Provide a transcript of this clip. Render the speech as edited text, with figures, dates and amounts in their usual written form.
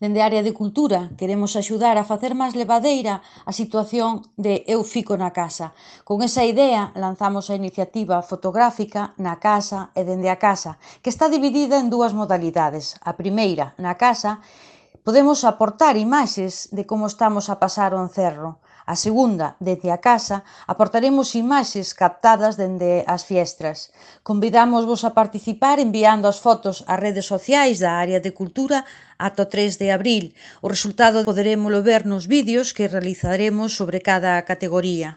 Dende a área de cultura, queremos axudar a facer máis levadeira a situación de Eu fico na casa. Con esa idea, lanzamos a iniciativa fotográfica Na casa e dende a casa, que está dividida en dúas modalidades. A primeira, na casa, podemos aportar imaxes de como estamos a pasar o encerro. A segunda, desde a casa, aportaremos imaxes captadas dende as fiestras. Convidámosvos a participar enviando as fotos ás redes sociais da área de cultura ata o 3 de abril. O resultado poderémolo ver nos vídeos que realizaremos sobre cada categoría.